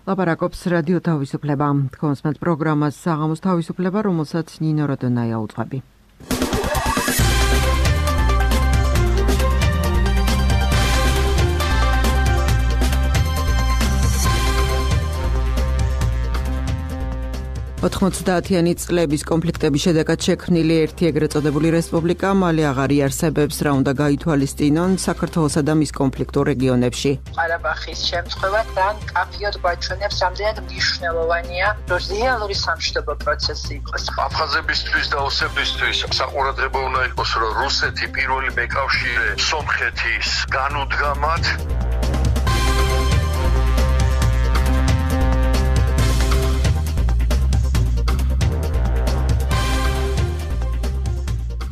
ლაპარაკობს რადიო თავისუფლება. თქვენს პროგრამას საღამოს თავისუფლება, რომელსაც ნინო როდონაია უძღვები. ოთხმოცდაათიანი წლების კონფლიქტების შედეგად შექმნილი ერთი ეგრეთ წოდებული რესპუბლიკა მალე აღარ იარსებებს, რა უნდა გაითვალისწინონ საქართველოსა და მის კონფლიქტურ რეგიონებში. ყარაბაღის შემთხვევა თან კაფიოდ გვაჩვენებს, რამდენად მნიშვნელოვანია, რომ რეალური სამშვიდობო პროცესი იყოს. აფხაზებისთვის და ოსებისთვის საყურადღებო უნდა იყოს, რომ რუსეთი პირველი მეკავშირე სომხეთის განუდგამად.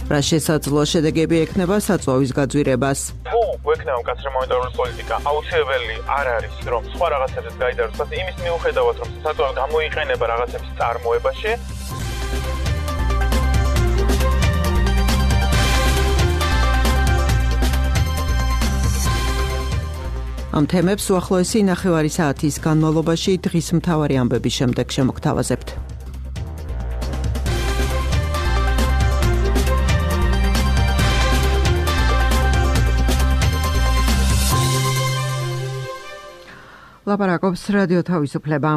რა შესაძლო შედეგები ექნება საწვავის გაძვირებას. თუ გვექნება მკაცრი მონეტარული პოლიტიკა, აუცილებელი არ არის, რომ სხვა რაღაცებზეც გაიდაროს, იმის მიუხედავად, რომ საწვავი გამოიყენება რაღაცების წარმოებაში. ამ თემებს უახლოესი ნახევარი საათის განმავლობაში დღის მთავარი ამბების შემდეგ შემოგთავაზებთ. ლაპარაკობს რადიო თავისუფლება.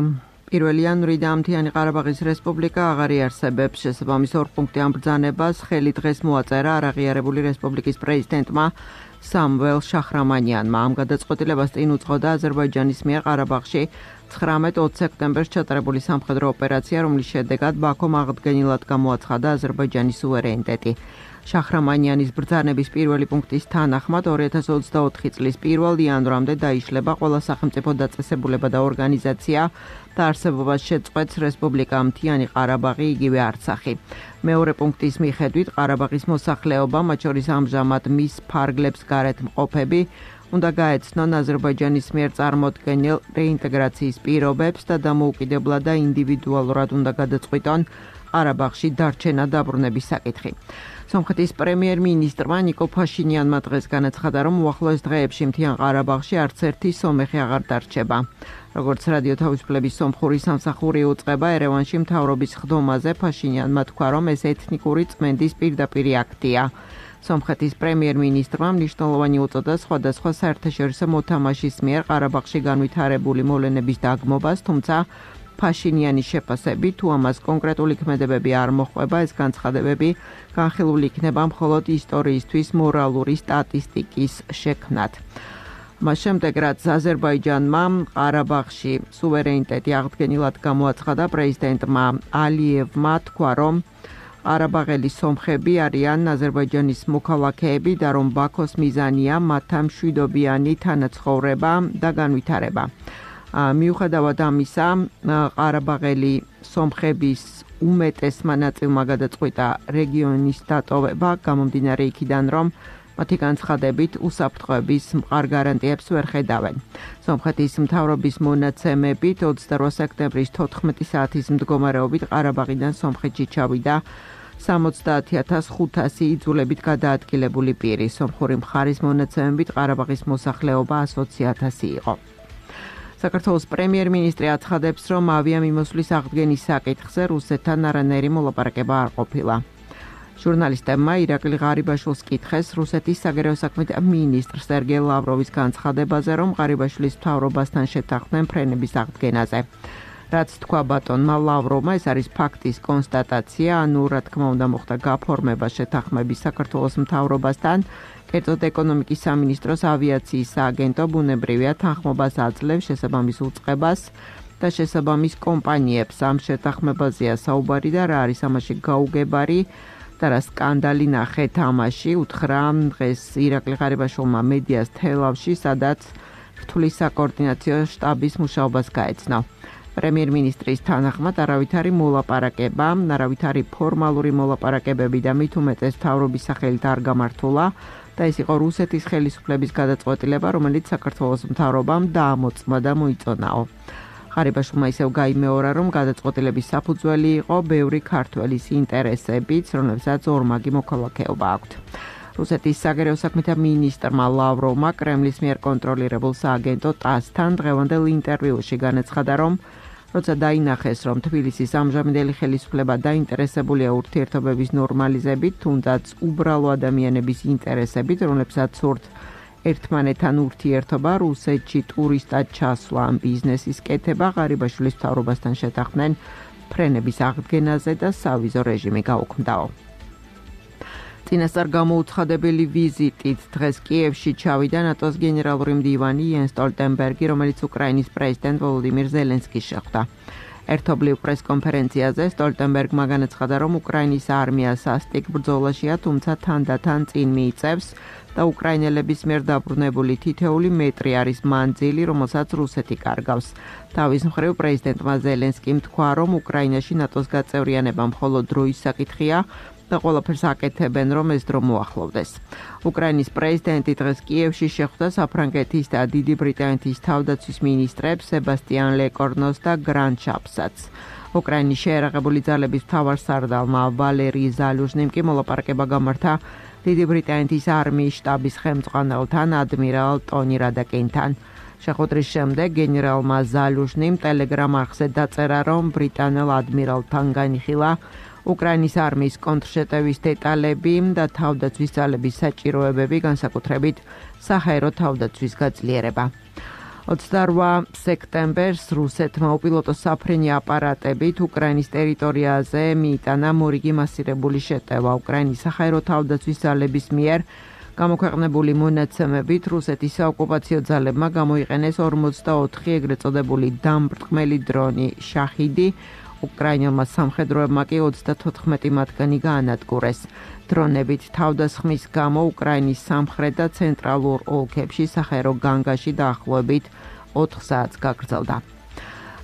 1 იანვრიდან მთიანი ყარაბაღის რესპუბლიკა აღარ იარსებებს. შესაბამის 2 პუნქტი ამ ბრძანებას ხელი დღეს მოაწერა არაღიარებული რესპუბლიკის პრეზიდენტმა სამվել შახრამანიანმა. ამ გადაწყვეტილებას წინ უძღოდა აზერბაიჯანის მიერ ყარაბაღში 19-20 სექტემბერს ჩატარებული სამხედრო ოპერაცია, რომლის შედეგად ბაქომ აღდგენილად გამოაცხადა აზერბაიჯანის სუვერენიტეტი. შახრამანიანის ბრძანების პირველი პუნქტის თანახმად 2024 წლის 1 იანვრამდე დაიშლება ყველა სახელმწიფო დაწესებულება და ორგანიზაცია და არსებობას შეწყვეტს რესპუბლიკა მთიანი ყარაბაღი, იგივე არცახი. მეორე პუნქტის მიხედვით ყარაბაღის მოსახლეობა, მათ შორის ამჟამად მის ფარგლებს გარეთ მყოფები, უნდა გაეცნონ აზერბაიჯანის მიერ წარმოდგენილ რეინტეგრაციის პირობებს და დამოუკიდებლად და ინდივიდუალურად უნდა გადაწყვიტონ ყარაბაღში დარჩენა დაბრუნების საკითხი. სომხეთის პრემიერ-მინისტრმა ნიკოლ ფაშინიანმა დღეს განაცხადა, რომ უახლოეს დღეებში მთიან ყარაბაღში არც ერთი სომეხი აღარ დარჩება. როგორც რადიო თავისუფლების სომხური სამსახური უწყება ერევანში მთავრობის ხდომაზე, ფაშინიანმა თქვა, რომ ეს ეთნიკური წმენდის პირდაპირი აქტია. სომხეთის პრემიერ-მინისტრმა მნიშვნელოვანი უწოდა სხვადასხვა საერთაშორისო მოთამაშის მიერ ყარაბაღში განვითარებული მოვლენების დაგმობას, თუმცა ფაშინიანის შეფასებით, თუ ამას კონკრეტული ქმედებები არ მოჰყვება, ეს განცხადებები განხილული იქნება მხოლოდ ისტორიისთვის მორალური სტატისტიკის შექმნად. მას შემდეგ, რაც აზერბაიჯანმა ყარაბაღში სუვერენიტეტი აღდგენილად გამოაცხადა, პრეზიდენტმა ალიევმა თქვა, რომ ყარაბაღელი სომხები არიან აზერბაიჯანის მოქალაქეები და რომ ბაქოს მიზანია მათთან მშვიდობიანი თანაცხოვრება და განვითარება. მიუხედავად ამისა, ყარაბაღელი სომხების უმეტესმა ნაწილმა გადაწყვიტა რეგიონის დატოვება, გამომდინარე იქიდან, რომ მათი განცხადებით უსაფრთხოების მყარ გარანტიებს ვერ ხედავენ. სომხეთის მთავრობის მონაცემებით 28 სექტემბრის 14 საათის მდგომარეობით ყარაბაღიდან სომხეთში ჩავიდა 70,500 იძულებით გადაადგილებული პირი. სომხური მხარის მონაცემებით ყარაბაღის მოსახლეობა 120,000 იყო. საქართველოს პრემიერ-მინისტრი აცხადებს, რომ ავიამიმოსვლის აღდგენის საკითხზე რუსეთთან არანაირი მოლაპარაკება არ ყოფილა. ჟურნალისტებმა ირაკლი ღარიბაშვილს კითხეს რუსეთის საგარეო საქმეთა მინისტრ სერგეი ლავროვის განცხადებაზე, რომ ღარიბაშვილის მთავრობასთან შეთანხმდნენ ფრენების აღდგენაზე. რაც თქვა ბატონმა ლავროვმა, ეს არის ფაქტის კონსტატაცია, ანუ რა თქმა უნდა მოხდა გაფორმება შეთანხმების საქართველოს მთავრობასთან. კერძოდ ეკონომიკის სამინისტროს ავიაციის სააგენტო ბუნებრივია თანხმობას აძლევს შესაბამის უწყებას და შესაბამის კომპანიებს. ამ შეთანხმებაზეა საუბარი და რა არის ამაში გაუგებარი და რა სკანდალი ნახეთ ამაში, უთხრა დღეს ირაკლი ღარიბაშვილმა მედიას თელავში, სადაც რთulis საკოორდინაციო შტაბის მუშაობას გაეცნო. პრემიერ-მინისტრის თანახმად არავითარი მოლაპარაკება, არავითარი ფორმალური მოლაპარაკებები და მით უმეტეს მთავრობის სახელით არ გამართულა და ეს იყო რუსეთის ხელისუფლების გადაწყვეტილება, რომელიც საქართველოს მთავრობამ დაამოწმა და მოიწონაო. ღარიბაშვილმა ისევ გაიმეორა, რომ გადაწყვეტილების საფუძველი იყო ბევრი ქართველის ინტერესებიც, რომლებსაც ორმაგი მოქალაქეობა აქვთ. რუსეთის საგარეო საქმეთა მინისტრმა ლავროვმა კრემლის მიერ კონტროლირებულ სააგენტო ტასთან დღევანდელ ინტერვიუში განაცხადა, რომ როცა დაინახეს, რომ თბილისის ამჟამინდელი ხელისუფლება დაინტერესებულია ურთიერთობების ნორმალიზებით, თუნდაც უბრალო ადამიანების ინტერესებით, რომლებსაც სურთ ერთმანეთთან ურთიერთობა, რუსეთში ტურისტად ჩასვლა ან ბიზნესის კეთება, ღარიბაშვილის მთავრობასთან შეთანხმდნენ ფრენების აღდგენაზე და სავიზო რეჟიმი გაუქმდაო. წინასწარ გამოუცხადებელი ვიზიტით დღეს კიევში ჩავიდა ნატოს გენერალური მდივანი იენს სტოლტენბერგი, რომელიც უკრაინის პრეზიდენტ ვოლოდიმირ ზელენსკის შეხვდა. ერთობლივ პრესკონფერენციაზე სტოლტენბერგმა განაცხადა, რომ უკრაინის არმია სასტიკ ბრძოლაშია, თუმცა თანდათან წინ მიიწევს და უკრაინელების მიერ დაბრუნებული თითეული მეტრი არის მანძილი, რომელსაც რუსეთი კარგავს. თავის მხრივ პრეზიდენტმა ზელენსკიმ თქვა, რომ უკრაინაში ნატოს გაწევრიანება მხოლოდ დროის საკითხია და ყველაფერს აკეთებენ, რომ ეს დრო მოახლოვდეს. უკრაინის პრეზიდენტი დღეს კიევში შეხვდა საფრანგეთის და დიდი ბრიტანეთის თავდაცვის მინისტრებს სებასტიან ლეკორნოს და გრან ჩაპსაც. უკრაინის შეერაღებული ძალების მთავარსარდალმა ვალერი ზალუჟნიმ კი მოლაპარაკება გამართა დიდი ბრიტანეთის არმიის შტაბის ხელმძღვანელთან ადმირალ ტონი რადაკინთან. შეხვედრის შემდეგ გენერალმა ზალუჟნიმ ტელეგრამ არხზე დაწერა, რომ ბრიტანელ ადმირალთან განიხილა უკრაინის არმიის კონტრშეტევის დეტალები და თავდაცვის ძალების საჭიროებები, განსაკუთრებით საჰაერო თავდაცვის გაძლიერება. 28 სექტემბერს რუსეთმა უპილოტო საფრენი აპარატებით უკრაინის ტერიტორიაზე მიიტანა მორიგი მასირებული შეტევა. უკრაინის საჰაერო თავდაცვის ძალების მიერ გამოქვეყნებული მონაცემებით რუსეთის საოკუპაციო ძალებმა გამოიყენეს 44 ეგრეთ წოდებული დამბრტყმელი დრონი შაჰიდი, უკრაინელმა სამხედროებმა კი 34 მათგანი გაანადგურეს. დრონებით თავდასხმის გამო უკრაინის სამხრეთ და ცენტრალურ ოლქებში საჰაერო განგაში დაახლოებით 4 საათს გაგრძელდა.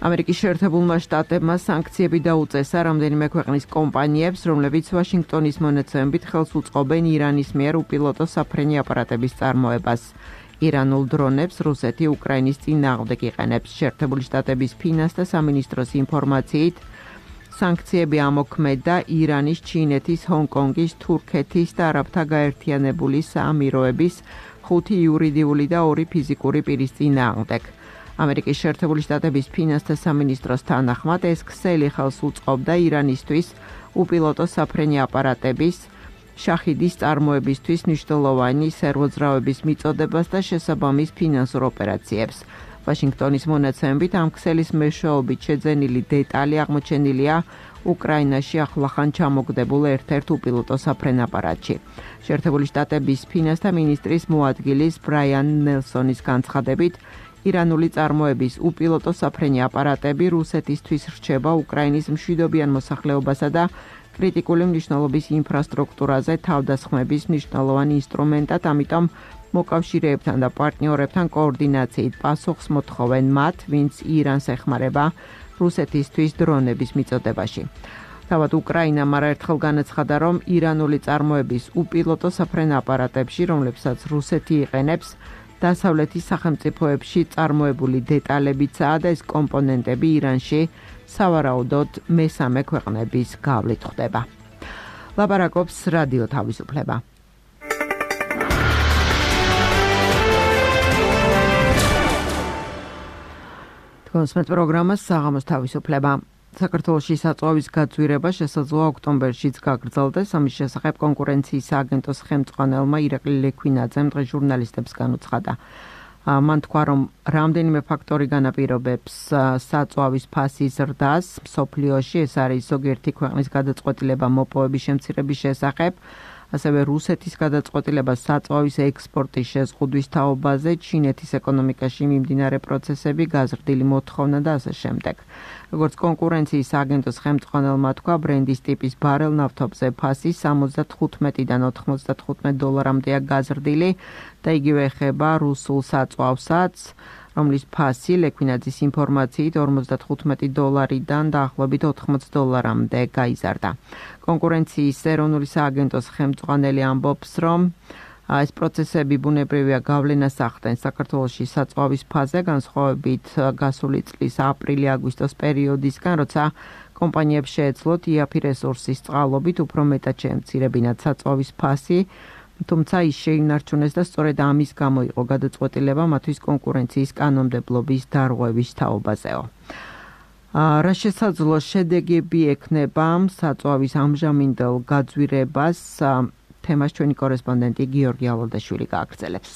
ამერიკის შეერთებულმა შტატებმა სანქციები დაუწესა რამდენიმე ქვეყნის კომპანიებს, რომლებიც ვაშინგტონის მონაცემებით ხელს უწყობენ ირანის მიერ უპილოტო საფრენი აპარატების წარმოებას. ირანულ დრონებს რუსეთი უკრაინის წინააღმდეგ იყენებს. შეერთებული შტატების ფინანსთა სამინისტროს ინფორმაციით, სანქციები ამოქმედა ირანის, ჩინეთის, ჰონკონგის, თურქეთის და არაბთა გაერთიანებული საამიროების 5 იურიდიული და 2 ფიზიკური პირის წინააღმდეგ. ამერიკის შეერთებული შტატების ფინანსთა სამინისტროს თანახმად ეს ქსელი ხელს უწყობდა ირანისთვის უპილოტო საფრენი აპარატების შაჰიდის წარმოებისთვის მნიშვნელოვანი სერვოძრავების მიწოდებას და შესაბამის ფინანსურ ოპერაციებს. ვაშინგტონის მონაცემებით ამ ქსელის მეშვეობით შეძენილი დეტალი აღმოჩენილია უკრაინაში ახლახან ჩამოგდებულ ერთ-ერთ უპილოტო საფრენ აპარატში. შეერთებული შტატების ფინანსთა მინისტრის მოადგილის ბრაიან ნელსონის განცხადებით, ირანული წარმოების უპილოტო საფრენი აპარატები რუსეთისთვის რჩება უკრაინის მშვიდობიან მოსახლეობასა და კრიტიკული მნიშვნელობის ინფრასტრუქტურაზე თავდასხმების მნიშვნელოვანი ინსტრუმენტად, ამიტომ მოკავშირეებთან და პარტნიორებთან კოორდინაციით პასუხს მოთხოვენ მათ, ვინც ირანს ეხმარება რუსეთისთვის დრონების მიწოდებაში. თავად უკრაინამ არაერთხელ განაცხადა, რომ ირანული წარმოების უპილოტო საფრენ აპარატებში, რომლებსაც რუსეთი იყენებს, დასავლეთის სახელმწიფოებში წარმოებული დეტალებიცაა და ეს კომპონენტები ირანში სავარაუდოდ მესამე ქვეყნების გავლით ხდება. ლაპარაკობს რადიო თავისუფლება. თქვენს პროგრამას საღამოს თავისუფლება. საქართველოში საწვავის გაწვირება შესაძლოა ოქტომბერშიც გაგრძელდეს. ამის შესახებ კონკურენციის სააგენტოს ხელმძღვანელმა ირაკლი ლექვინაძემ დღეს ჟურნალისტებს განუცხადა. მან თქვა, რომ რამდენიმე ფაქტორი განაპირობებს საწვავის ფასის ზრდას მსოფლიოში. ეს არის ზოგიერთი ქვეყნის გადაწყვეტილება მოპოვების შემცირების შესახებ, ასევე რუსეთის გადაწყვეტილება საწვავის ექსპორტის შეზღუდვის თაობაზე, ჩინეთის ეკონომიკაში მიმდინარე პროცესები, გაზრდილი მოთხოვნა და ასე შემდეგ. როგორც კონკურენციის აგენტოს ხელმძღვანელმა თქვა, ბრენდის ტიპის ბარელ ნავთობზე ფასი 75-დან 95 დოლარამდეა გაზრდილი და იგივე ეხება რუსულ საწვავსაც, რომლის ფასი ლექვინაძის ინფორმაციით 55 დოლარიდან დაახლოებით 80 დოლარამდე გაიზარდა. კონკურენციის ეროვნული სააგენტოს ხელმძღვანელი ამბობს, რომ ეს პროცესები ბუნებრივია გავლენას ახდენს საქართველოში საწვავის ფაზე, განსხვავებით გასული წლის აპრილი-აგვისტოს პერიოდისგან, როცა კომპანიებს შეეძლოთ იაფი რესურსის წყალობით უფრო მეტად შეემცირებინათ საწვავის ფასი თუმცა ის შეინარჩუნეს და სწორედ ამის გამო იყო გადაწყვეტილება მათთვის კონკურენციის კანონმდებლობის დარღვევის თაობაზეო. რა შესაძლო შედეგები ექნება საწვავის ამჟამინდელ გაძვირებას თემას ჩვენი კორესპონდენტი გიორგი ალოდაშვილი გააგრძელებს.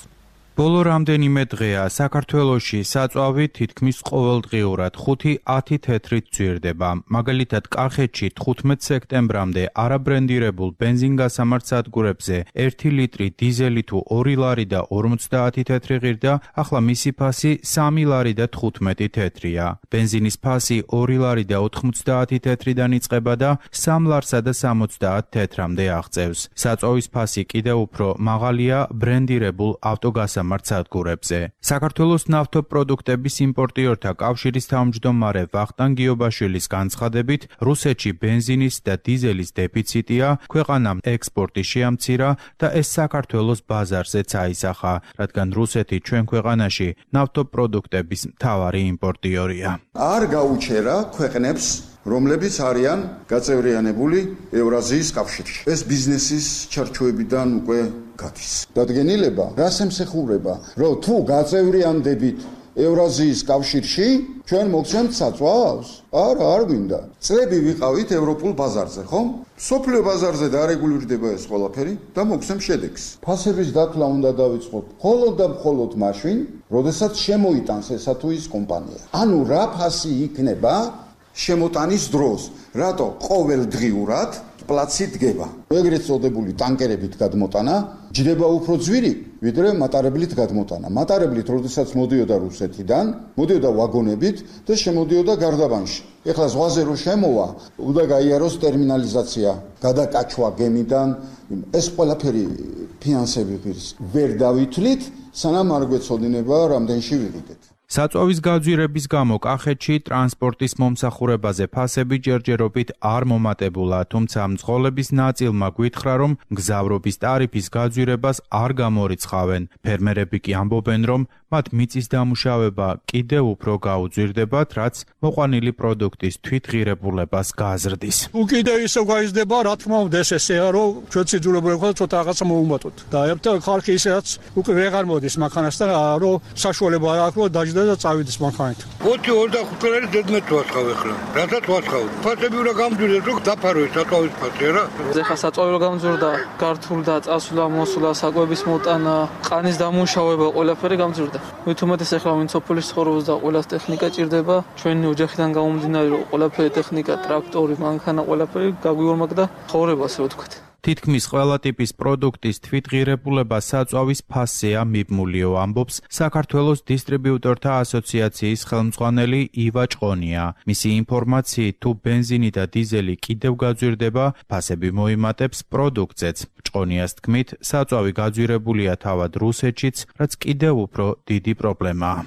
ბოლო რამდენიმე დღეა საქართველოში საწვავი თითქმის ყოველდღიურად 5-10 თეთრით ძვირდება. მაგალითად, კახეთში 15 სექტემბრამდე არაბრენდირებულ ბენზინგასამართ სადგურებზე 1 ლიტრი დიზელი თუ 2 ლარი და 50 თეთრი ღირდა, ახლა მისი ფასი 3 ლარი და 15 თეთრია. ბენზინის ფასი 2 ლარი და 90 თეთრიდან იწყება და 3 ლარსა და 70 თეთრამდე აღწევს. საწვავის ფასი კიდევ უფრო მაღალია ბრენდირებულ ავტოგასამართ სადგურებზე. საქართველოს ნავთობპროდუქტების იმპორტიორთა კავშირის თავმჯდომარე ვახტანგ გიობაშვილის განცხადებით, რუსეთში ბენზინის და დიზელის დეფიციტია, ქვეყანამ ექსპორტი შეამცირა და ეს საქართველოს ბაზარზეც აისახა, რადგან რუსეთი ჩვენ ქვეყანაში ნავთობპროდუქტების მთავარი იმპორტიორია. არ გაუჩერა ქვეყნებს რომლებიც არიან გაწევრიანებული ევრაზიის კავშირში. ეს ბიზნესის ჩარჩოებიდან უკვე გადის. დადგენილება რას ემსახურება, რომ თუ გაწევრიანდებით ევრაზიის კავშირში, ჩვენ მოგცემთ საწვავს? არა, არ გვინდა. წლები ვიყავით ევროპულ ბაზარზე, ხო? სოფლიო ბაზარზე დარეგულირდება ეს ყველაფერი და მოგცემ შედეგს. ფასების დათვლა უნდა დავიწყოთ მხოლოდ და მხოლოდ მაშინ, როდესაც შემოიტანს ესა თუ ის კომპანია. ანუ რა ფასი იქნება შემოტანის დროს, რატო ყოველდღიურად პლაცი დგება. ეგრეთ წოდებული ტანკერებით გადმოტანა ჯდება უფრო ძვირი, ვიდრე მატარებლით გადმოტანა. მატარებლით, როდესაც მოდიოდა რუსეთიდან, მოდიოდა ვაგონებით და შემოდიოდა გარდაბანში. ეხლა ზღვაზე რო შემოვა, უნდა გაიაროს ტერმინალიზაცია, გადაკაჩვა გემიდან, ეს ყველაფერი ფინანსები ვერ დავითვლით, სანამ არ გვეცოდინება რამდენში ვიყიდეთ. საწვავის გაძვირების გამო კახეთში ტრანსპორტის მომსახურებაზე ფასები ჯერჯერობით არ მომატებულა, თუმცა მძღოლების ნაწილმა გვითხრა, რომ მგზავრობის ტარიფის გაძვირებას არ გამორიცხავენ. ფერმერები კი ამბობენ, რომ მათ მიწის დამუშავება კიდევ უფრო გაუძვირდებათ, რაც მოყვანილი პროდუქტის თვითღირებულებას გაზრდის. უკიდე ისე გაიზრდება, რა თქმა უნდა, ეს ესეა, რომ ჩვენ სიძულებული ხართ ცოტა რაღაცა მოუმატოთ. და ერთ ხალხი ისეაც უკვე ვეღარ მოდის მანქანასთან, რომ საშუალება არ აქვს, რომ დაჯდა და წავიდეს მანქანით. 25 ლარი დედმეთ ვაცხავ ახლა. რატაც ვაცხავ? ფასები უნდა გამძვირდეს, რომ დაფაროს საწვავის ფასი რა. ეხლა საწვავი რო გამძვირდა, გართულდა, წასვლა, მოსვლა, საკვების მოტანა, ყანის დამუშავება, ყველაფერი გამძვირდა. მithumetes ახლა ვინც სოფლის ცხოვრობს და ყველას ტექნიკა ჭირდება, ჩვენი ოჯახიდან გამომდინარე, რომ ყველაფერი ტექნიკა, ტრაქტორი, მანქანა, ყველაფერი გაგვიორმაგდა ცხოვრებას, ასე ვთქვათ. თითქმის ყველა ტიპის პროდუქტის თვითღირებულება საწვავის ფასზეა მიბმულიო, ამბობს საქართველოს დისტრიბიუტორთა ასოციაციის ხელმძღვანელი ივა ჭყონია. მისი ინფორმაციით, თუ ბენზინი და დიზელი კიდევ გაძვირდება, ფასები მოიმატებს პროდუქტზეც. ჭყონიას თქმით, საწვავი გაძვირებულია თავად რუსეთშიც, რაც კიდევ უფრო დიდი პრობლემაა.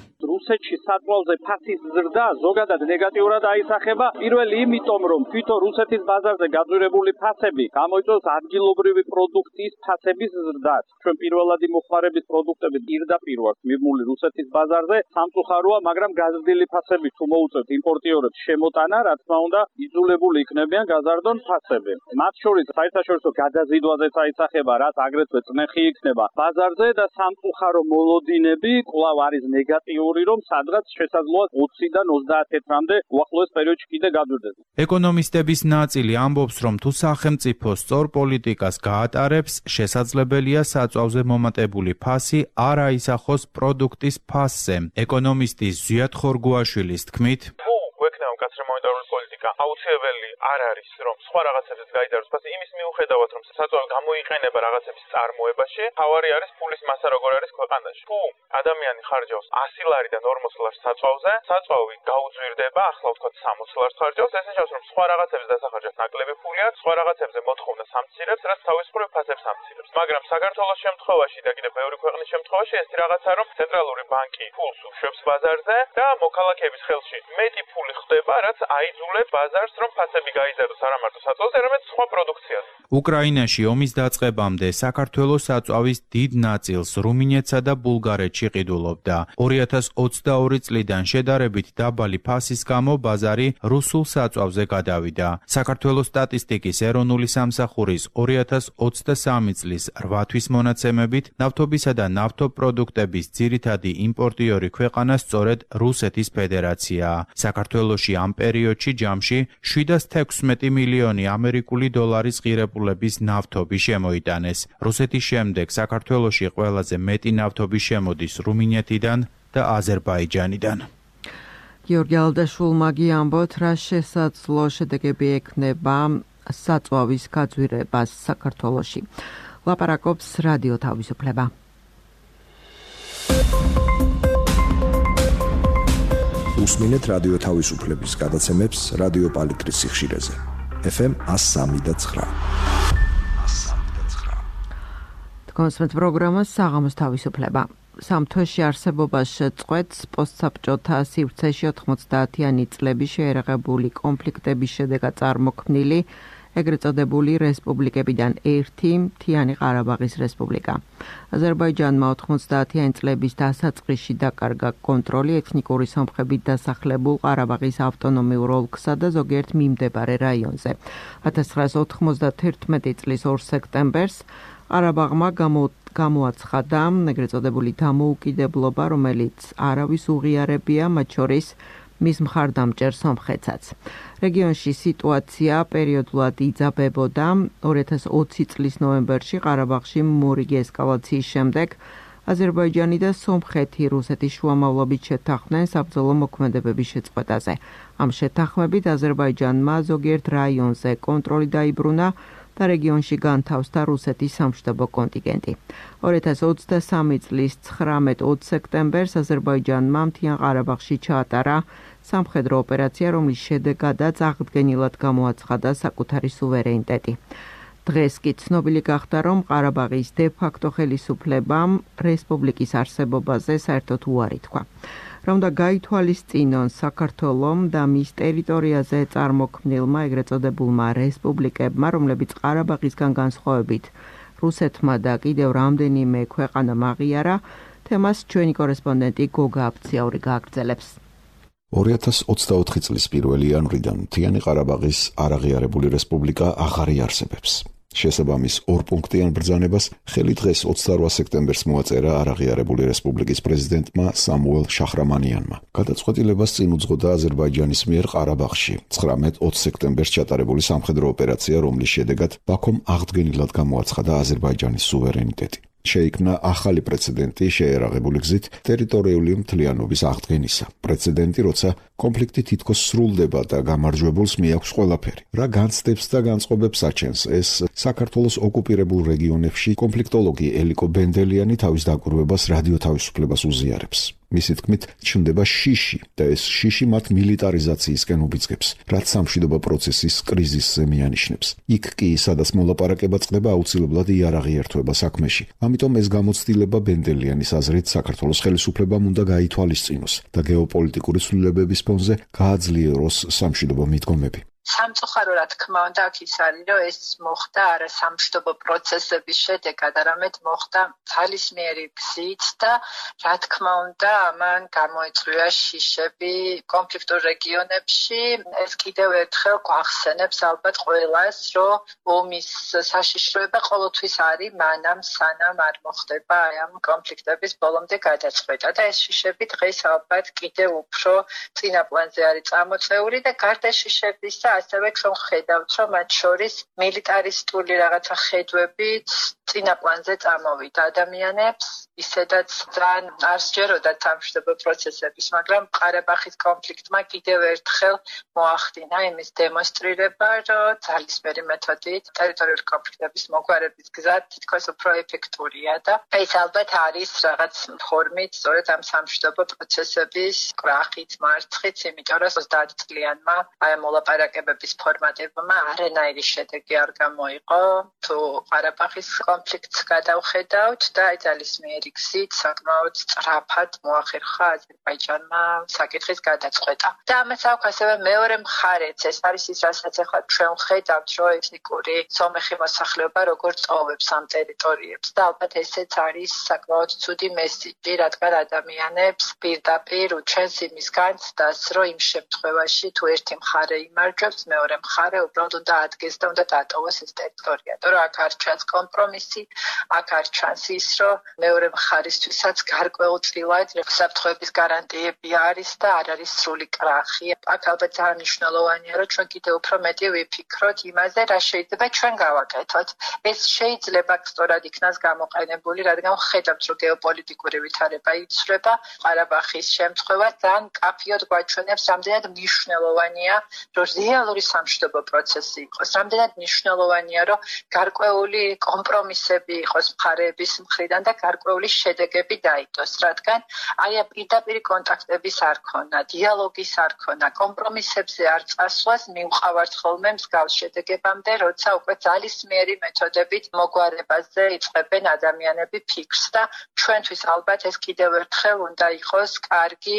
რუსეთში საწვავზე ფასის ზრდა ზოგადად ნეგატიურად აისახება. პირველი იმიტომ, რომ თვითონ რუსეთის ბაზარზე გაძვირებული ფასები გამოიწვევს ადგილობრივი პროდუქციის ფასების ზრდას. ჩვენ პირველადი მოხმარების პროდუქტები პირდაპირ ვართ მიბმული რუსეთის ბაზარზე. სამწუხაროა, მაგრამ გაზრდილი ფასები თუ მოუწევთ იმპორტიორებს შემოტანა, რა თქმა უნდა, იძულებული იქნებიან გაზარდონ ფასები. მათ შორის საერთაშორისო გადაზიდვაზეც აისახება, რაც აგრეთვე წნეხი იქნება ბაზარზე და სამწუხარო მოლოდინები კვლავ არის ნეგატიური, რომ სადღაც შესაძლოა 20-დან 30 თეთრამდე უახლოეს პერიოდში კიდე გაძვირდეს. ეკონომისტების ნაწილი ამბობს, რომ თუ სახელმწიფო სწორ პოლიტიკას გაატარებს, შესაძლებელია საწვავზე მომატებული ფასი არ აისახოს პროდუქტის ფასზე. ეკონომისტის ზვიად ხორგუაშვილის თქმით, გვექნება მკაცრი მონეტარული პოლიტიკა, აუცილებელი არ არის, რომ სხვა რაღაცებზეც გაიდაროს ფასი, იმის მიუხედავად, რომ საწვავი გამოიყენება რაღაცების წარმოებაში, თავარი არის ფულის მასა როგორ არის ქვეყანაში. თუ ადამიანი ხარჯავს 100 ლარიდან 40 ლარს საწვავზე, საწვავი გაუძვირდება, ახლა ვთქვათ 60 ლარს ხარჯავს, ეს ნიშნავს, რომ სხვა რაღაცებზე დასახარჯავს ნაკლები ფული აქვს, სხვა რაღაცებზე მოთხოვნა სამცირებს, რაც თავისუფლებ ფასებს ამცირებს. მაგრამ საქართველოს შემთხვევაში და კიდევ ბევრი ქვეყნის შემთხვევაში ეს რაღაცა, რომ ცენტრალური ბანკი ფულს უშვებს ბაზარზე და მოქალაქეების ხელში მეტი ფული ხდება ხდება, რაც აიძულებს ბაზარს, რომ ფასები გაიზარდოს არა მარტო საწვავზე, არამედ სხვა პროდუქციაზე. უკრაინაში ომის დაწყებამდე საქართველოს საწვავის დიდ ნაწილს რუმინეთსა და ბულგარეთში ყიდულობდა. 2022 წლიდან შედარებით დაბალი ფასის გამო ბაზარი რუსულ საწვავზე გადავიდა. საქართველოს სტატისტიკის ეროვნული სამსახურის 2023 წლის 8 თვის მონაცემებით ნავთობისა და ნავთობპროდუქტების ძირითადი იმპორტიორი ქვეყანა სწორედ რუსეთის ფედერაციაა. საქართველოში ამ პერიოდში ჯამში 716 მილიონი ამერიკული დოლარის ღირებულების ნავთობი შემოიტანეს. რუსეთის შემდეგ საქართველოში ყველაზე მეტი ნავთობი შემოდის რუმინეთიდან და აზერბაიჯანიდან. გიორგი ალდაშვილმა გიამბოთ, რა შესაძლო შედეგები ექნება საწვავის გაძვირებას საქართველოში. ლაპარაკობს რადიო თავისუფლება. უსმინეთ რადიო თავისუფლების გადაცემებს რადიო პალიტრის სიხშირეზე. FM 103.9. კონსვენთ პროგრამა საღამოს თავისუფლება. სამთვეში არსებობას შეწყვეტს პოსტსაბჭოთა სივრცეში 90-იანი წლების შეერაღებული კონფლიქტების შედეგად წარმოქმნილი ეგრეთ წოდებული რესპუბლიკებიდან ერთი მთიანი ყარაბაღის რესპუბლიკა. აზერბაიჯანმა 90-იანი წლების დასაწყისში დაკარგა კონტროლი ეთნიკური სომხებით დასახლებულ ყარაბაღის ავტონომიურ ოლქსა და ზოგიერთ მიმდებარე რაიონზე. 1991 წლის 2 სექტემბერს ყარაბაღმა გამოაცხადა ეგრეთ წოდებული დამოუკიდებლობა, რომელიც არავის უღიარებია, მათ შორის მის მხარდამჭერ სომხეთსაც. რეგიონში სიტუაცია პერიოდულად იძაბებოდა. 2020 წლის ნოემბერში ყარაბაღში მორიგი ესკალაციის შემდეგ აზერბაიჯანი და სომხეთი რუსეთის შუამავლობით შეთანხმდნენ საბრძოლო მოქმედებების შეწყვეტაზე. ამ შეთანხმებით აზერბაიჯანმა ზოგიერთ რაიონზე კონტროლი დაიბრუნა და რეგიონში განთავსდა რუსეთის სამშვიდობო კონტინგენტი. 2023 წლის 19-20 სექტემბერს აზერბაიჯანმა მთიან ყარაბაღში ჩაატარა სამხედრო ოპერაცია, რომლის შედეგადაც აღდგენილად გამოაცხადა საკუთარი სუვერენიტეტი. დღეს კი ცნობილი გახდა, რომ ყარაბაღის დე-ფაქტო ხელისუფლებამ რესპუბლიკის არსებობაზე საერთოდ უარი თქვა. რომ და გაითვალისწინონ საქართველომ და მის ტერიტორიაზე წარმოქმნილმა ეგრეთ წოდებულმა რესპუბლიკებმა, რომლებიც ყარაბაღისგან განსხვავებით რუსეთმა და კიდევ რამდენიმე ქვეყანამ აღიარა, თემას ჩვენი კორესპონდენტი გოგა აფციაური გააგრძელებს. 2024 წლის 1 იანვრიდან მთიანი ყარაბაღის არაღიარებული რესპუბლიკა აღარ იარსებებს. შესაბამის ორპუნქტიან ბრძანებას ხელი დღეს 28 სექტემბერს მოაწერა არაღიარებული რესპუბლიკის პრეზიდენტმა სამუელ შახრამანიანმა. გადაწყვეტილებას წინ უძღოდა აზერბაიჯანის მიერ ყარაბაღში 19-20 სექტემბერს ჩატარებული სამხედრო ოპერაცია, რომლის შედეგად ბაქომ აღდგენილად გამოაცხადა აზერბაიჯანის სუვერენიტეტი. შეიქმნა ახალი პრეცედენტი შეერაღებული გზით ტერიტორიული მთლიანობის აღდგენისა. პრეცედენტი, როცა კონფლიქტი თითქოს სრულდება და გამარჯვებულს მიაქვს ყველაფერი. რა განცდებს და განწყობებს აჩენს ეს საქართველოს ოკუპირებულ რეგიონებში კონფლიქტოლოგი ელიკო ბენდელიანი თავის დაკვირვებას რადიო თავისუფლებას უზიარებს. მისი თქმით, ჩნდება შიში და ეს შიში მათ მილიტარიზაციისკენ უბიძგებს, რაც სამშვიდობო პროცესის კრიზისზე მიანიშნებს. იქ კი, სადაც მოლაპარაკება წყდება, აუცილებლად იარაღიერთვება საქმეში. ამიტომ ეს გამოცდილება ბენდელიანის აზრით საქართველოს ხელისუფლებამ უნდა გაითვალისწინოს და გეოპოლიტიკური ცვლილებების ფონზე გააძლიეროს სამშვიდობო მიდგომები. სამწუხარო რა თქმა უნდა აქ ის არის, რომ ეს მოხდა არა სამშვიდობო პროცესების შედეგად, არამედ მოხდა ძალისმიერი გზით და რა თქმა უნდა ამან გამოიწვია შიშები კონფლიქტურ რეგიონებში. ეს კიდევ ერთხელ გვახსენებს ალბათ ყველას, რომ ომის საშიშროება ყოველთვის არის მანამ სანამ არ მოხდება ამ კონფლიქტების ბოლომდე გადაწყვეტა და ეს შიშები დღეს ალბათ კიდევ უფრო წინა პლანზე არის წამოწეული და გარდა შიშებისა ასევე რომ ხედავთ, რომ მათ შორის მილიტარისტული რაღაცა ხედვებით წინა პლანზე წამოვიდა ადამიანებს, ისედაც ძალიან არ სჯეროდათ სამშვიდობო პროცესების, მაგრამ ყარაბაღის კონფლიქტმა კიდევ ერთხელ მოახდინა იმის დემონსტრირება, რომ ძალისმიერი მეთოდით ტერიტორიული კონფლიქტების მოგვარების გზა თითქოს უფრო ეფექტურია და ეს ალბათ არის რაღაც ფორმით სწორედ ამ სამშვიდობო პროცესების კრახით, მარცხით, იმიტომ რომ 30 წლიანმა აი მოლაპარაკება მოლაპარაკებების ფორმატებმა არანაირი შედეგი არ გამოიყო. თუ ყარაბაღის კონფლიქტს გადავხედავთ და ძალისმიერი გზით საკმაოდ სწრაფად მოახერხა აზერბაიჯანმა საკითხის გადაწყვეტა. და ამას აქვს ასევე მეორე მხარეც, ეს არის ის, რასაც ახლა ჩვენ ვხედავთ, რომ ეთნიკური სომეხი მოსახლეობა როგორ წოვებს ამ ტერიტორიებს და ალბათ ესეც არის საკმაოდ ცუდი მესიჯი, რადგან ადამიანებს პირდაპირ უჩვენს იმის განცდას, რომ იმ შემთხვევაში თუ ერთი მხარე იმარჯვებს, მეორე მხარე უბრალოდ უნდა ადგეს და უნდა დატოვოს ეს ტერიტორია. რომ აქ არ ჩანს კომპრომისი, აქ არ ჩანს ის, რომ მეორე მხარისთვისაც გარკვეულწილად საფრთხეების გარანტიები არის და არ არის სრული კრახი. აქ ალბათ ძალიან მნიშვნელოვანია, რომ ჩვენ კიდევ უფრო მეტი ვიფიქროთ იმაზე, რა შეიძლება ჩვენ გავაკეთოთ. ეს შეიძლება სწორად იქნას გამოყენებული, რადგან ვხედავთ, რომ გეოპოლიტიკური ვითარება იცვლება. ყარაბაღის შემთხვევა ძალიან კაფიოდ გვაჩვენებს, რამდენად მნიშვნელოვანია, რომ რეალური სამშვიდობო პროცესი იყოს. რამდენად მნიშვნელოვანია, რომ გარკვეული კომპრომისები იყოს მხარეების მხრიდან და გარკვეული შედეგები დაიდოს, რადგან აი ამ პირდაპირ კონტაქტების არ ქონა, დიალოგის არ ქონა, კომპრომისებზე არ წასვლას მივყავართ ხოლმე მსგავს შედეგებამდე, როცა უკვე ძალისმიერი მეთოდებით მოგვარებაზე იწყებენ ადამიანები ფიქრს და ჩვენთვის ალბათ ეს კიდევ ერთხელ უნდა იყოს კარგი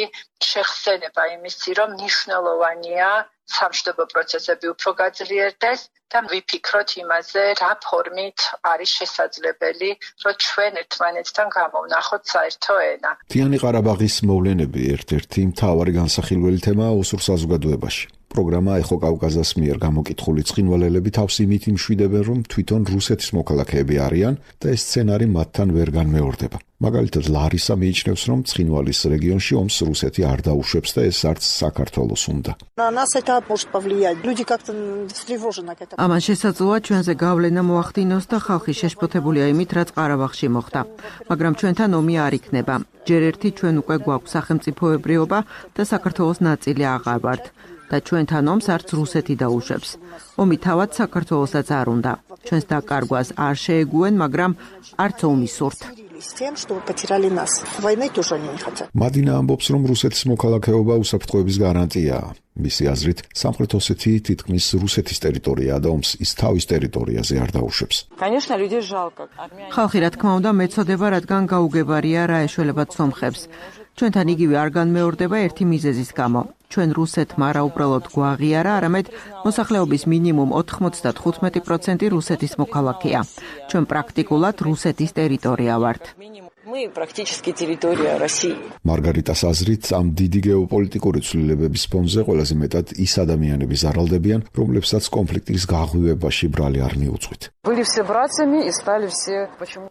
შეხსენება იმისი, რომ მნიშვნელოვანია სამშვიდობო პროცესები უფრო გაძლიერდეს და ვიფიქროთ იმაზე, რა ფორმით არის შესაძლებელი, რომ ჩვენ ერთმანეთთან გამოვნახოთ საერთო ენა. მთიანი ყარაბაღის მოვლენები ერთ-ერთი მთავარი განსახილველი თემაა ოსურ საზოგადოებაში. პროგრამა ეხო კავკაზას მიერ გამოკითხული ცხინვალელები თავს იმით იმშვიდებენ, რომ თვითონ რუსეთის მოქალაქეები არიან და ეს სცენარი მათთან ვერ განმეორდება. მაგალითად, ლარისა მიიჩნევს, რომ ცხინვალის რეგიონში ომს რუსეთი არ დაუშვებს და ეს არც საქართველოს უნდა. ამან შესაძლოა ჩვენზე გავლენა მოახდინოს და ხალხი შეშფოთებულია იმით, რაც ყარაბაღში მოხდა. მაგრამ ჩვენთან ომი არ იქნება. ჯერ ერთი ჩვენ უკვე გვაქვს სახელმწიფოებრიობა და საქართველოს ნაწილი აღარ ვართ. და ჩვენთან ომს არც რუსეთი დაუშვებს. ომი თავად საქართველოსაც არ უნდა. ჩვენს დაკარგვას არ შეეგუენ, მაგრამ არც ომი სურთ. მადინა ამბობს, რომ რუსეთის მოქალაქეობა უსაფრთხოების გარანტიაა. მისი აზრით, სამხრეთ ოსეთი თითქმის რუსეთის ტერიტორიაა და ომს ის თავის ტერიტორიაზე არ დაუშვებს. ხალხი, რა თქმა უნდა, მეწოდება, რადგან გაუგებარია რა ეშველებათ სომხებს. ჩვენთან იგივე არ განმეორდება ერთი მიზეზის გამო. ჩვენ რუსეთმა არა უბრალოდ გვაღიარა, არამედ მოსახლეობის მინიმუმ 95% რუსეთის მოქალაქეა. ჩვენ პრაქტიკულად რუსეთის ტერიტორია ვართ. მარგარიტას აზრით, ამ დიდი გეოპოლიტიკური ცვლილებების ფონზე ყველაზე მეტად ის ადამიანები ზარალდებიან, რომლებსაც კონფლიქტის გაღვივებაში ბრალი არ მიუძღვით.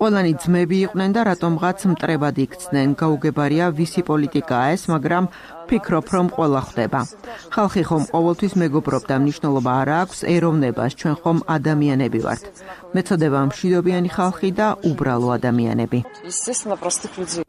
ყველანი ძმები იყვნენ და რატომღაც მტრებად იქცნენ. გაუგებარია ვისი პოლიტიკაა ეს, მაგრამ ვფიქრობ, რომ ყველა ხვდება. ხალხი ხომ ყოველთვის მეგობრობს და მნიშვნელობა არ აქვს ეროვნებას, ჩვენ ხომ ადამიანები ვართ. მეწოდება მშვიდობიანი ხალხი და უბრალო ადამიანები.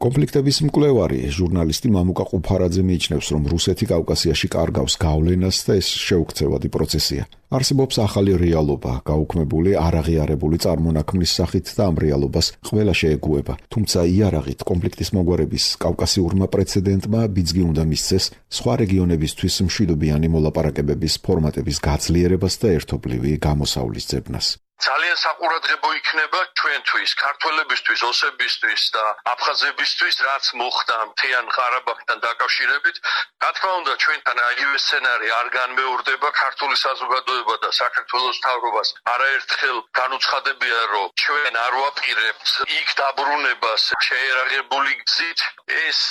კონფლიქტების მკვლევარი ჟურნალისტი მამუკა ყუფარაძე მიიჩნევს, რომ რუსეთი კავკასიაში კარგავს გავლენას და ეს შეუქცევადი პროცესია. არსებობს ახალი რეალობა, გაუქმებული არაღიარებული წარმონაქმნის სახით და ამ რეალობას ყველა შეეგუება. თუმცა იარაღით კონფლიქტის მოგვარების კავკასიურმა პრეცედენტმა ბიძგი უნდა მისცეს სხვა რეგიონებისთვის მშვიდობიანი მოლაპარაკებების ფორმატების გაძლიერებას და ერთობლივი გამოსავლის ძებნას. ძალიან საყურადღებო იქნება ჩვენთვის, ქართველებისთვის, ოსებისთვის და აფხაზებისთვის, რაც მოხდა მთიან ყარაბაღთან დაკავშირებით. რა თქმა უნდა, ჩვენთან აიგივე სცენარი არ განმეორდება. ქართული საზოგადოება და საქართველოს მთავრობას არაერთხელ განუცხადებია, რომ ჩვენ არ ვაპირებთ იქ დაბრუნებას შეერაღებული გზით. ეს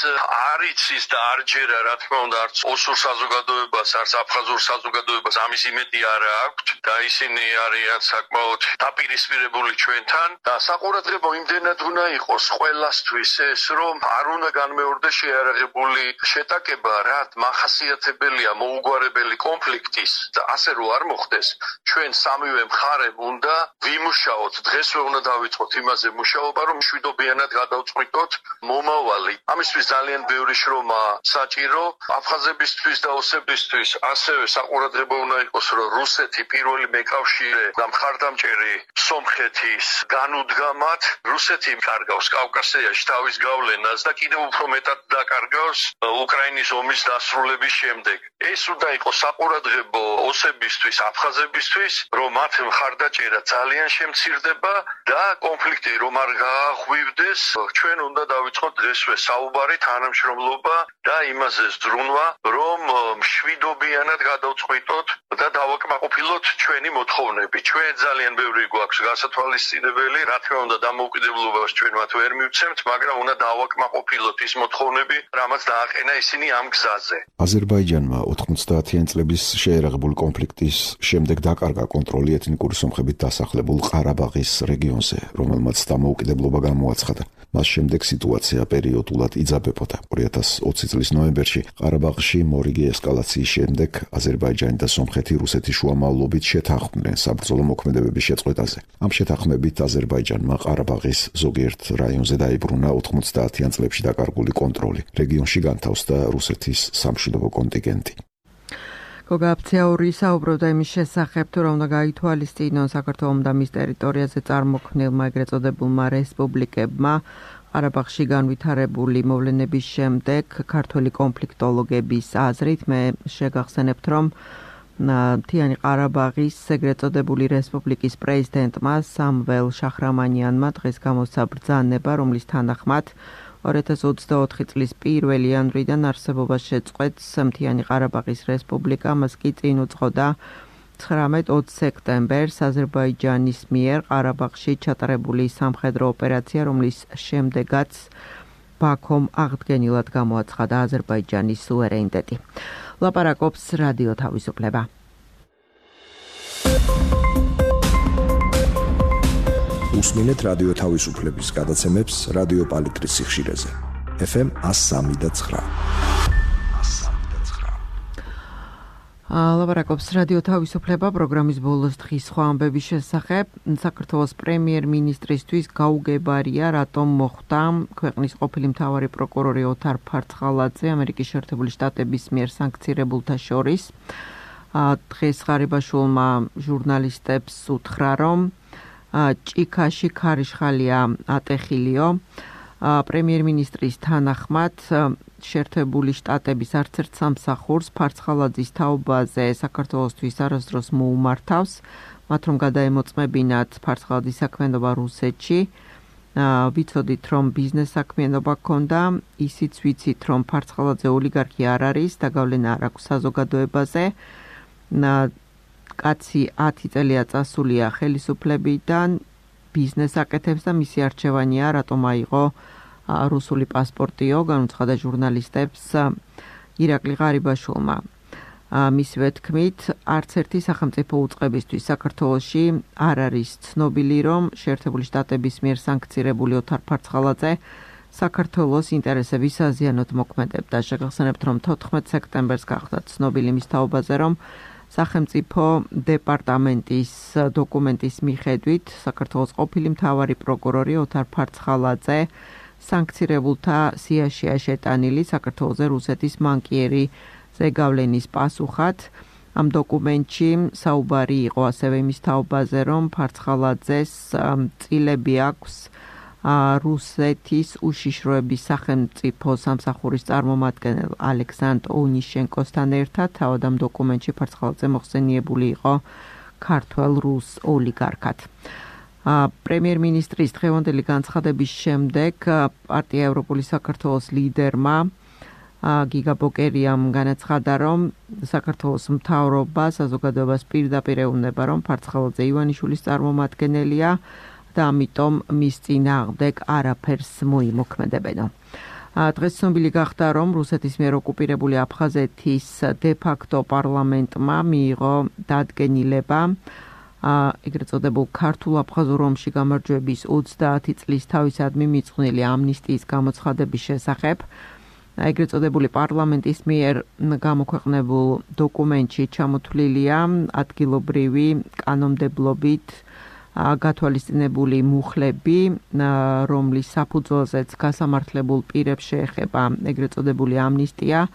არ იცის და არ ჯერა, რა თქმა უნდა, არც ოსურ საზოგადოებას, არც აფხაზურ საზოგადოებას ამის იმედი არ აქვს და ისინი არიან საკმაოდ დაპირისპირებული ჩვენთან და საყურადღებო იმდენად უნდა იყოს ყველასთვის ეს, რომ არ უნდა განმეორდეს შეარაღებული შეტაკება, რაც მახასიათებელია მოუგვარებელი კონფლიქტის და ასე რომ არ მოხდეს, ჩვენ სამივე მხარემ უნდა ვიმუშაოთ, დღესვე უნდა დავიწყოთ იმაზე მუშაობა, რომ მშვიდობიანად გადავწყვიტოთ მომავალი. ამისთვის ძალიან ბევრი შრომა საჭირო, აფხაზებისთვის და ოსებისთვის ასევე საყურადღებო უნდა იყოს, რომ რუსეთი პირველი მეკავშირე და მხარდამჭერი ნაყოფიერი სომხეთის განუდგამად რუსეთი კარგავს კავკასიაში თავის გავლენას და კიდევ უფრო მეტად დაკარგავს უკრაინის ომის დასრულების შემდეგ. ეს უნდა იყოს საყურადღებო ოსებისთვის, აფხაზებისთვის, რომ მათ მხარდაჭერა ძალიან შემცირდება და კონფლიქტი რომ არ გააღვივდეს, ჩვენ უნდა დავიწყოთ დღესვე საუბარი, თანამშრომლობა და იმაზე ზრუნვა, რომ მშვიდობიანად გადავწყვიტოთ და დავაკმაყოფილოთ ჩვენი მოთხოვნები. ჩვენ ძალიან ბევრი გვაქვს გასათვალისწინებელი, რა თქმა უნდა დამოუკიდებლობას ჩვენ მათ ვერ მივცემთ, მაგრამ უნდა დავაკმაყოფილოთ ის მოთხოვნები, რამაც დააყენა ისინი ამ გზაზე. აზერბაიჯანმა 90-იან წლების შეერაღებული კონფლიქტის შემდეგ დაკარგა კონტროლი ეთნიკური სომხებით დასახლებულ ყარაბაღის რეგიონზე, რომელმაც დამოუკიდებლობა გამოაცხადა. მას შემდეგ სიტუაცია პერიოდულად იძაბებოდა. 2020 წლის ნოემბერში ყარაბაღში მორიგი ესკალაციის შემდეგ აზერბაიჯანი და სომხეთი რუსეთის შუამავლობით შეთანხმდნენ საბრძოლო მოქმედებების შეწყვეტაზე. ამ შეთანხმებით აზერბაიჯანმა ყარაბაღის ზოგიერთ რაიონზე დაიბრუნა 90-იან წლებში დაკარგული კონტროლი. რეგიონში განთავსდა რუსეთის სამშვიდობო კონტინგენტი. გოგა აფციაური საუბრობდა იმის შესახებ, თუ რა უნდა გაითვალისწინონ საქართველოს და მის ტერიტორიაზე წარმოქმნილმა ეგრეთ წოდებულმა რესპუბლიკებმა ყარაბაღში განვითარებული მოვლენების შემდეგ ქართველი კონფლიქტოლოგების აზრით მე შეგახსენებთ, რომ მთიანი ყარაბაღის ეგრეთ წოდებული რესპუბლიკის პრეზიდენტმა სამվել შახრამანიანმა დღეს გამოსცა ბრძანება, რომლის თანახმად 2024 წლის 1 იანვრიდან არსებობას შეწყვეტს მთიანი ყარაბაღის რესპუბლიკა, მას კი წინ უძღოდა 19-20 სექტემბერს აზერბაიჯანის მიერ ყარაბაღში ჩატარებული სამხედრო ოპერაცია, რომლის შემდეგაც ბაქომ აღდგენილად გამოაცხადა აზერბაიჯანის სუვერენიტეტი. ლაპარაკობს რადიო თავისუფლება. უსმინეთ რადიო თავისუფლების გადაცემებს რადიო პალიტრის სიხშირეზე. FM 103.9. ლაპარაკობს რადიო თავისუფლება პროგრამის ბოლოს დღის სხვა ამბების შესახებ. საქართველოს პრემიერ-მინისტრისთვის გაუგებარია, რატომ მოხვდა ქვეყნის ყოფილი მთავარი პროკურორი ოთარ ფარცხალაძე ამერიკის შეერთებული შტატების მიერ სანქცირებულთა შორის. დღეს ღარიბაშვილმა ჟურნალისტებს უთხრა, რომ ჭიქაში ქარიშხალია ატეხილიო. პრემიერ-მინისტრის თანახმად შეერთებული შტატების არც ერთ სამსახურს ფარცხალაძის თაობაზე საქართველოსთვის არასდროს მოუმართავს, მათ რომ გადაემოწმებინათ ფარცხალაძის საქმიანობა რუსეთში. ვიცოდით, რომ ბიზნეს საქმიანობა ჰქონდა, ისიც ვიცით, რომ ფარცხალაძე ოლიგარქი არ არის და გავლენა არ აქვს საზოგადოებაზე. კაცი 10 წელია წასულია ხელისუფლებიდან, ბიზნეს აკეთებს და მისი არჩევანია, რატომ აიღო რუსული პასპორტიო, განუცხადა ჟურნალისტებს ირაკლი ღარიბაშვილმა. მისივე თქმით, არც ერთი სახელმწიფო უწყებისთვის საქართველოში არ არის ცნობილი, რომ შეერთებული შტატების მიერ სანქცირებული ოთარ ფარცხალაძე საქართველოს ინტერესების საზიანოდ მოქმედებდა. შეგახსენებთ, რომ 14 სექტემბერს გახდა ცნობილი მის თაობაზე, რომ სახელმწიფო დეპარტამენტის დოკუმენტის მიხედვით საქართველოს ყოფილი მთავარი პროკურორი ოთარ ფარცხალაძე სანქცირებულთა სიაშია შეტანილი საქართველოს რუსეთის მანკიერი ზეგავლენის პასუხად. ამ დოკუმენტში საუბარი იყო ასევე იმის თაობაზე, რომ ფარცხალაძეს წილები აქვს რუსეთის უშიშროების სახელმწიფო სამსახურის წარმომადგენელ ალექსანდრ ონიშენკოსთან ერთად. თავად ამ დოკუმენტში ფარცხალაძე მოხსენიებული იყო ქართველ რუს ოლიგარქად. პრემიერ-მინისტრის დღევანდელი განცხადების შემდეგ პარტია ევროპული საქართველოს ლიდერმა გიგა ბოკერიამ განაცხადა, რომ საქართველოს მთავრობა საზოგადოებას პირდაპირ ეუბნება, რომ ფარცხალაძე ივანიშვილის წარმომადგენელია და ამიტომ მის წინააღმდეგ არაფერს მოიმოქმედებენო. დღეს ცნობილი გახდა, რომ რუსეთის მიერ ოკუპირებული აფხაზეთის დე-ფაქტო პარლამენტმა მიიღო დადგენილება ეგრეთ წოდებულ ქართულ აფხაზურ ომში გამარჯვების 30 წლის თავისადმი მიწყვნილი ამნისტიის გამოცხადების შესახებ. ეგრეთ წოდებული პარლამენტის მიერ გამოქვეყნებულ დოკუმენტში ჩამოთვლილია ადგილობრივი კანონმდებლობით გათვალისწინებული მუხლები, რომლის საფუძველზეც გასამართლებულ პირებს შეეხება ეგრეთ წოდებული ამნისტია.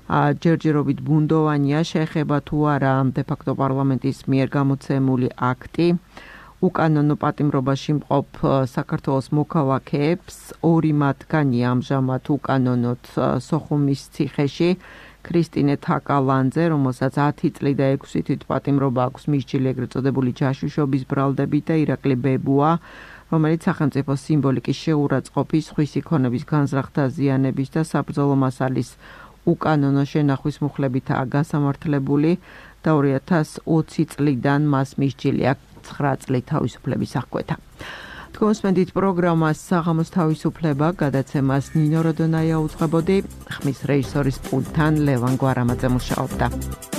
ჯერჯერობით ბუნდოვანია, შეეხება თუ არა დე-ფაქტო პარლამენტის მიერ გამოცემული აქტი. უკანონო პატიმრობაში მყოფ საქართველოს მოქალაქეებს, 2 მათგანი ამჟამად უკანონოდ სოხუმის ციხეში, ქრისტინე თაკალანძე, რომელსაც 10 წლი და 6 თვით პატიმრობა აქვს მისჯილი ეგრეთ წოდებული ჯაშუშობის ბრალდებით და ირაკლი ბებუა, რომელიც სახელმწიფო სიმბოლიკის შეურაცხყოფის, სხვისი ქონების განზრახ დაზიანების და საბრძოლო მასალის უკანონო შენახვის მუხლებითაა გასამართლებული და 2020 წლიდან მას მისჯილი აქვს 9 წლით თავისუფლების აღკვეთა. თქვენსმენდით პროგრამას საღამოს თავისუფლება გადაცემას ნინო როდონაია უძღვებოდი, ხმის რეჟისორის პულტთან ლევან გვარამაძე მუშაობდა.